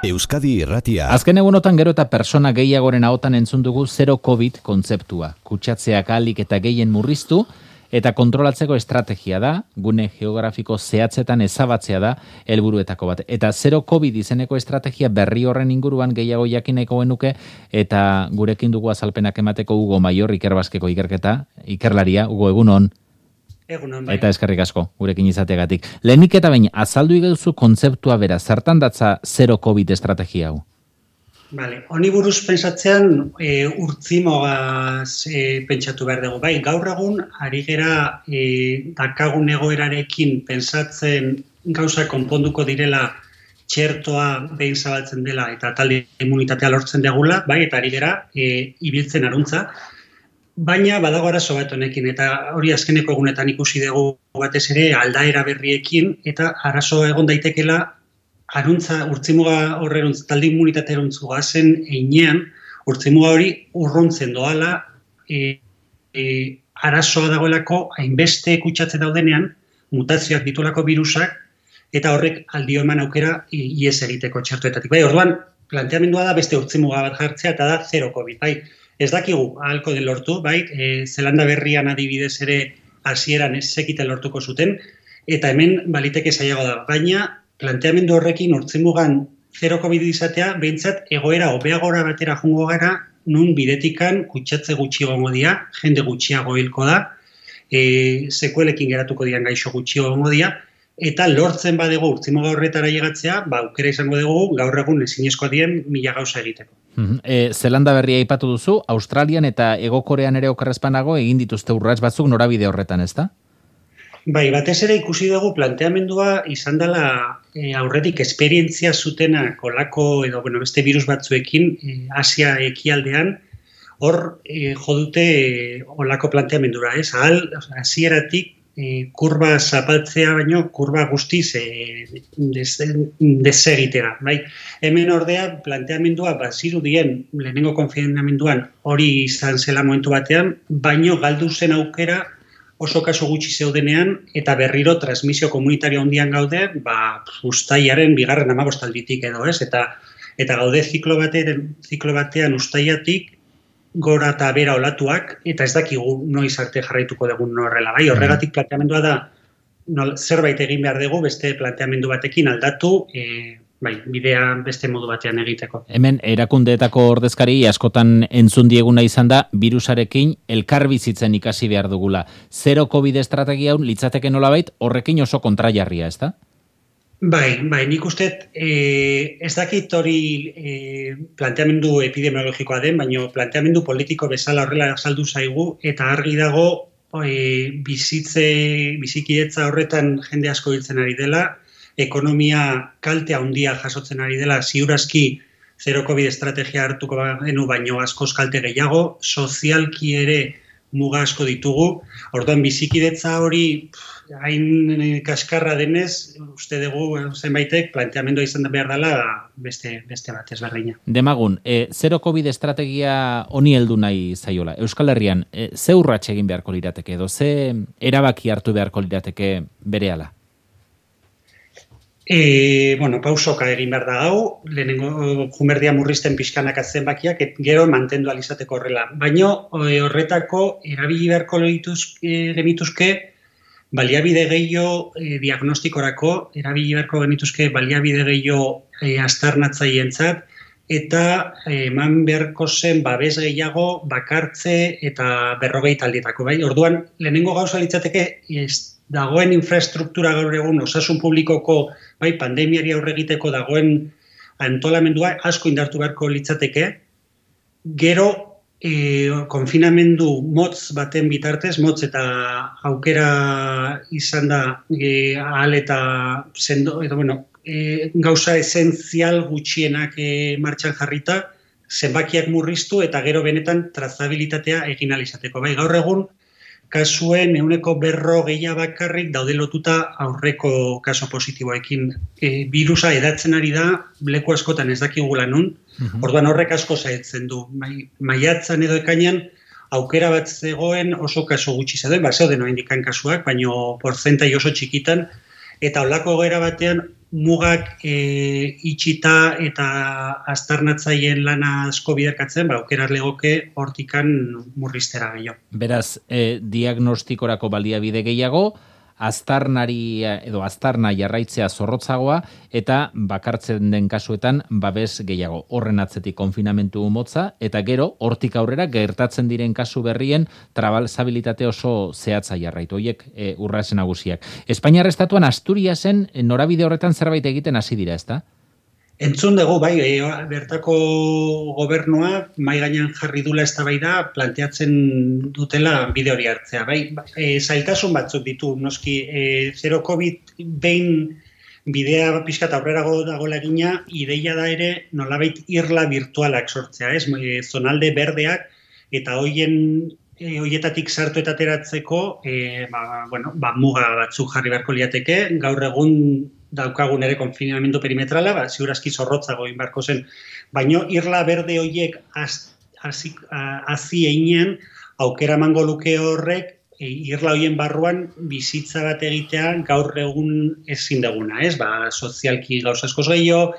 Euskadi Irratia. Azken egunotan gero eta persona gehiagoren ahotan entzun dugu zero COVID kontzeptua. Kutsatzeak ahalik eta gehien murriztu eta kontrolatzeko estrategia da, gune geografiko zehatzetan ezabatzea da helburuetako bat. Eta zero COVID izeneko estrategia berri horren inguruan gehiago jakineko genuke eta gurekin dugu azalpenak emateko Hugo Maior Ikerbaskeko ikerlaria. Hugo, egunon. Egunon, bai. Eta eskerrik asko, gurekin izategatik. Lehenik eta bain, azaldu iguzu kontzeptua bera, zertan datza zero COVID estrategia hau? Vale, honi buruz pensatzean urtzimogaz pentsatu behar dugu. Bai, gaur egun, ari gera dakagun egoerarekin pentsatzen gauza konponduko direla txertoa behin zabaltzen dela eta talde immunitatea lortzen degula, bai, eta ari gera ibiltzen aruntza. Baina badago arazo bat honekin, eta hori azkeneko egunetan ikusi dugu batez ere aldaera berriekin, eta arazo egon daitekela aruntza, urtzimuga horreruntz, talde immunitatea eruntzu gazen einean, urtzimuga hori urruntzen doala, arazoa dagoelako hainbeste kutsatze daudenean, mutazioak ditulako virusak, eta horrek aldio eman aukera ies egiteko txertoetatik. Bai, orduan, planteamendua da beste urtzimuga bat jartzea, eta da zero COVID, bai. Ez dakigu, ahalko den lortu, bai, Zelanda Berrian adibidez ere hasieran ez zekiten lortuko zuten, eta hemen baliteke zailago da. Baina, planteamendu horrekin urtzimugan zero COVID izatea, behintzat egoera hobeagora batera jungo gara, nun bidetikan kutsatze gutxi gongo dira, jende gutxiago hilko da, sekuelekin geratuko dian gaixo gutxi gongo dira, eta lortzen badego urtzimuga horretara llegatzea, aukera izango dugu gaur egun ezinezkoa dien 1000 gauza egiteko. Zelanda Berria aipatu duzu, Australian eta Hego Korean ere okerrezpanago egin dituzte urrats batzuk norabide horretan, ezta? Bai, batez ere ikusi dugu planteamendua izan dela aurretik esperientzia zutena kolako edo beste virus batzuekin Asia ekialdean, hor jodute olako planteamendura, ez? Hasieratik kurba zapaltzea baino kurba guztiz desegitera. Bai? Hemen ordea planteamendua bazirudien lehenengo konfinamenduan hori izan zela momentu batean, baino galdu zen aukera oso kaso gutxi zeudenean eta berriro transmisio komunitario handian gaude, uztailaren 15 alditik edo, ez? Eta gaude ziklo batean uztailatik gora eta bera olatuak, eta ez dakigu noiz arte jarraituko dugun horrela. Bai, horregatik planteamendua da zerbait egin behar dugu, beste planteamendu batekin aldatu, bidea beste modu batean egiteko. Hemen, erakundeetako ordezkari askotan entzun dieguna izan da, virusarekin elkarbizitzen ikasi behar dugula. Zero COVID estrategia hau litzateke nolabait horrekin oso kontrajarria, ez da? Bai, nik uste, ez dakit hori planteamendu epidemiologikoa den, baina planteamendu politiko bezala horrela azaldu zaigu, eta argi dago bizikidetza horretan jende asko hiltzen ari dela, ekonomia kalte handia jasotzen ari dela, ziurazki zero COVID estrategia hartuko genu baino askoz kalte gehiago, sozialki ere muga asko ditugu, orduan bizikidetza hori hain kaskarra denez, uste dugu zenbaitek planteamendua izan behar dela beste bat ezberdina. Demagun, zero COVID estrategia honi heldu nahi zaiola. Euskal Herrian, ze urrats egin beharko lirateke edo ze erabaki hartu beharko lirateke berehala? Pausoka egin behar da hau, lehenengo jumerdia murrizten pixkanak zenbakiak, gero mantendu alizateko horrela. Baina horretako erabili beharko genituzke baliabide gehiago diagnostikorako, erabili beharko genituzke baliabide gehiago aztarnatzaientzat, eta eman beharko zen babes gehiago bakartze eta 40 taldietako. Bai? Orduan, lehenengo gauza litzateke dagoen infrastruktura gaur egun osasun publikoko pandemiari aurre egiteko dagoen antolamendua asko indartu beharko litzateke, gero konfinamendu motz baten bitartez, motz eta aukera izan da ahal eta sendo, gauza esentzial gutxienak martxan jarrita, zenbakiak murriztu eta gero benetan trazabilitatea egin ahal izateko. Bai, gaur egun kasuen 140 bakarrik daude lotuta aurreko kaso positiboekin. Virusa edatzen ari da, leku askotan ez dakigula nun, orduan horrek asko zaetzen du. Maiatzan edo ekainan aukera bat zegoen oso kaso gutxi zeuden, zeuden oa indikan kasuak, baino porzentai oso txikitan, eta holako egoera batean mugak itxita eta aztarnatzaileen lana asko biderkatzen, aukeraz legoke hortikan murriztera gehiago. Beraz, diagnostikorako baliabide gehiago, aztarna jarraitzea zorrotzagoa eta bakartzen den kasuetan babes gehiago. Horren atzetik konfinamentu motza eta gero hortik aurrera gertatzen diren kasu berrien trabalzabilitate oso zehatza jarraitu. Hoiek urrasen nagusiak. Espainiar estatuan Asturiasen norabide horretan zerbait egiten hasi dira, ezta? Entzun dugu, bai, bertako gobernua mahai gainean jarri dula eztabaida planteatzen dutela bide hori hartzea. Bai, zailtasun batzuk ditu, noski, zero COVID behin bidea pixkat aurrerago dagoela egina, ideia da ere nolabait irla virtualak sortzea, ez? Zonalde berdeak eta hoietatik sartu eta ateratzeko muga batzuk jarri beharko liateke, gaur egun daukagun ere konfinamendu perimetrala, ziurazki zorrotzago inbarko zen, baino irla berde horiek hazi einean aukera emango luke horrek irla horien barruan bizitza bat egitea gaur egun ezin duguna, ez? Sozialki gauza askoz gehiago,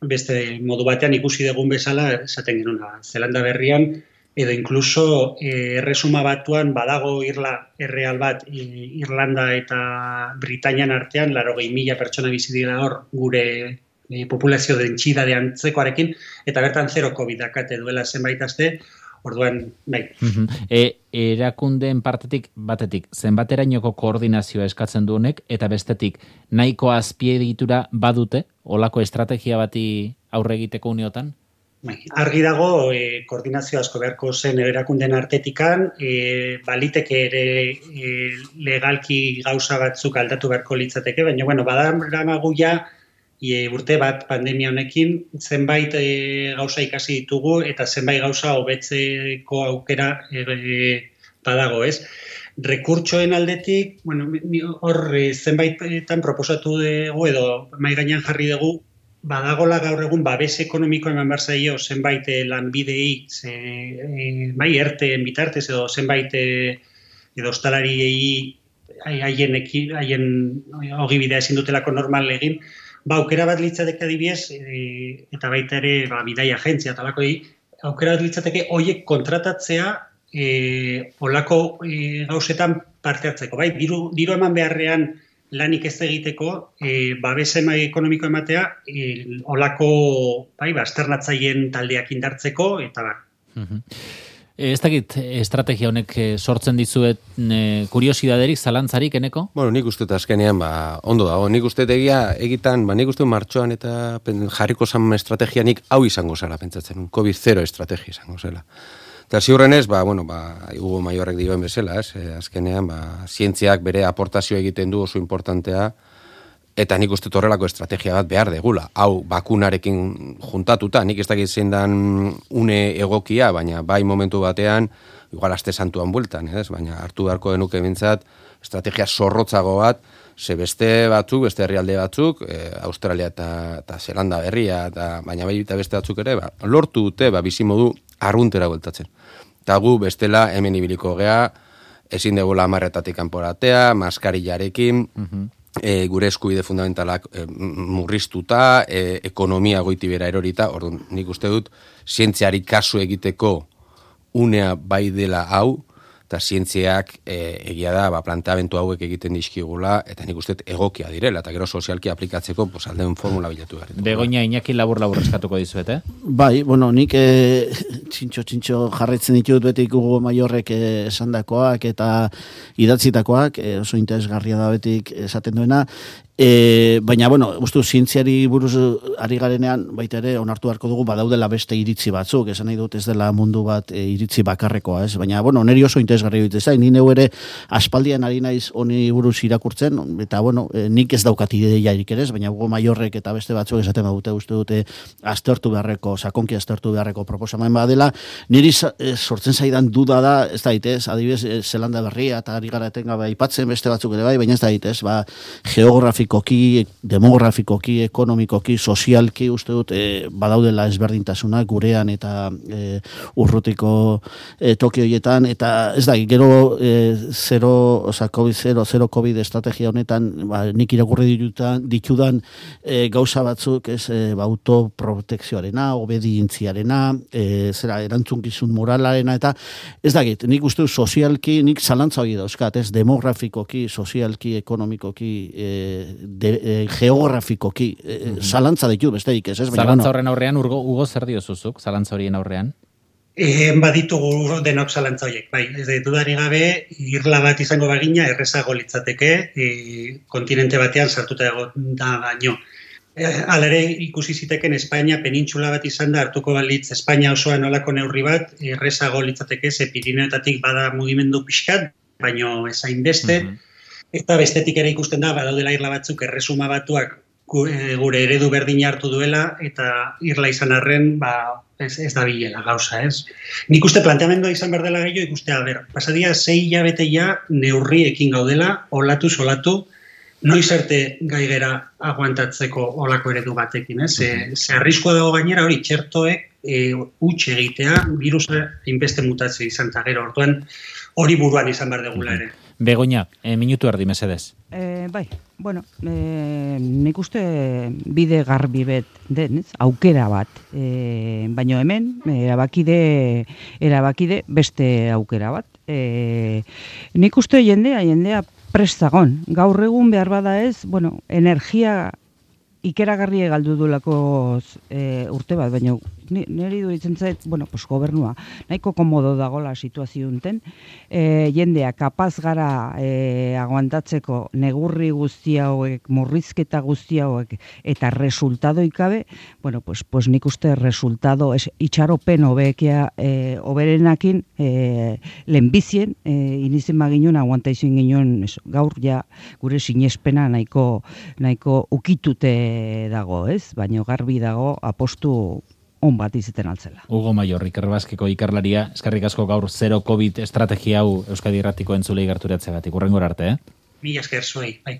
beste modu batean ikusi dugun bezala, esaten genuen, Zelanda berrian, edo inkluso erresuma batuan badago irla erreal bat Irlanda eta Britainian artean 80.000 pertsona bizi dira hor gure populazio dentsidade antzekoarekin eta bertan zero COVID dakate duela zenbait aste. Orduan, bai. Erakundeen batetik zenbaterainoko koordinazioa eskatzen du honek eta bestetik nahiko azpiegitura badute olako estrategia bati aurre egiteko uneotan? Argi dago, koordinazio asko beharko zen erakundeen artetikan, baliteke ere legalki gauza batzuk aldatu beharko litzateke, baina, badaramagu ja urte bat pandemia honekin, zenbait gauza ikasi ditugu eta zenbait gauza hobetzeko aukera badago, ez? Rekurtsoen aldetik, hor zenbaitetan proposatu dugu edo mahai gainean jarri dugu, badagola gaur egun babes ekonomiko eman behar zaio zenbait lanbidei, erteen bitartez edo zenbait edo ostalariei haien ogibidea ezin dutelako normal egin, aukera bat litzateke adibidez, eta baita ere bidaia agentzia talako aukera bat litzateke horiek kontratatzea olako gauzetan parte hartzeko. Diru eman beharrean lanik ez egiteko, babesema ekonomiko ematea, olako azternatzaileen taldeak indartzeko, eta Ez dakit estrategia honek sortzen dizuet kuriosidaderik, zalantzarik, eneko? Bueno, nik uste azkenean, ondo dago. Nik uste egitan, nik uste martxoan eta jarriko zan estrategianik hau izango zara, pentsatzen, COVID-0 estrategia izango zela. Eta ziurrenez, Hugo Maiorrek dioen bezala, azkenean, zientziak bere aportazio egiten du oso importantea, eta nik uste horrelako estrategia bat behar degula. Hau, bakunarekin juntatuta, nik ez dakit zein dan une egokia, baina bai momentu batean, igual aste santuan bueltan, baina hartu beharko denuke bintzat, estrategia zorrotzago bat, beste herrialde batzuk, Australia eta Zelanda berria, baina bai eta beste batzuk ere, lortu dute, bizimodu arruntera bueltatzen. Eta gu bestela hemen ibiliko gea, ezin degula 10 kanporatea, maskarillarekin, gure eskubide fundamentalak murriztuta, ekonomia goiti bera erorita, orduan nik uste dut, zientziari kasu egiteko unea bai dela hau, eta zientziak egia da, planteamendu hauek egiten dizkigula, eta nik uste egokia direla, eta gero sozialki aplikatzeko aldeun formula bilatu garen. Begoña, Iñaki labur eskatuko dizuet, Bai, nik txintxo jarraitzen ditut betik Hugo Maiorrek esandakoak eta idatzitakoak, oso interesgarria da betik esaten duena, baina, uste zientziari buruz ari garenean, baita ere, onartu beharko dugu, badaudela beste iritzi batzuk, esan nahi dut ez dela mundu bat iritzi bakarrekoa, ez? Baina, neri oso interesgarri dut zain, ni neu ere aspaldian ari naiz honi buruz irakurtzen, eta, nik ez daukat ideiarik ere, baina Hugo Maiorrek eta beste batzuk esaten badute, uste dute, sakonki aztertu beharreko proposamen badela, niri sortzen zaidan duda da, ez da ditez, adibidez, Zelanda berria, eta ari gara etengabe aipatzen beste batzuk ere bai, baina ez da ditez, geografiko politikoki, demografikoki, ekonomikoki, sozialki uste dut badaudela ezberdintasunak gurean eta urrutiko toki horietan, eta ez da, gero zero COVID estrategia honetan, nik irakurri ditudan gauza batzuk, autoprotekzioarena, obedientziarena, erantzunkizun moralarena, eta ez da, nik uste dut sozialki, nik zalantza hori dauzkat, demografikoki, sozialki, ekonomikoki, geografikoki, zalantza ditu, besterik ez. Zalantza horren aurrean, Hugo, zer diozuzuk, zalantza horien aurrean? Baditugu denok zalantza horiek, bai, ez dudarik gabe, irla bat izango bagina, errezago litzateke, kontinente batean sartuta da baino. Alere ikusi ziteken Espainia penintxula bat izan da, hartuko balitz Espainia osoan olako neurri bat, errezago litzateke, ze Pirineoetatik bada mugimendu pixkat, baino ezain beste, eta bestetik ere ikusten da, badaudela irla batzuk erresuma batuak gure eredu berdina hartu duela, eta irla izan arren, ez da bilela gauza, ez? Nik uste planteamendua izan behar dela gehiago, ikustea, pasadia 6 hilabeteia neurriekin gaudela, olatu, noiz arte gaigera aguantatzeko olako eredu batekin, ez? Ze arriskoa dago gainera hori txertoek huts egitea, virusa inbeste mutazio izan eta gero, orduan hori buruan izan behar degula ere. Begoña, minutu erdi mesedez. Bai, bueno, nik uste bide garbi bet den, aukera bat, baino hemen erabakide beste aukera bat. Nik uste jendea prestagon. Gaur egun behar bada ez, bueno, energia ikeragarri galdu dulako urte bat, baina niri duritzen zait, bueno, pues gobernua, nahiko komodo dagola situazio unten, jendea kapaz gara aguantatzeko negurri guzti hauek, murrizketa guzti hauek, eta resultado ikabe, bueno, pues nik uste resultado, itxaropen oberenakin lehenbizien, inizen baginun, aguantaizuen ginen, gaur ja gure sinespena nahiko ukitute dago, ez? Baina garbi dago apostu on bat izeten altzela. Hugo Mayor, Iker Baskeko ikerlaria, eskerrik asko gaur zero COVID estrategia hau Euskadi Irratiko entzulei gerturatzegatik. Hurrengora arte, Mila esker zuei, bai.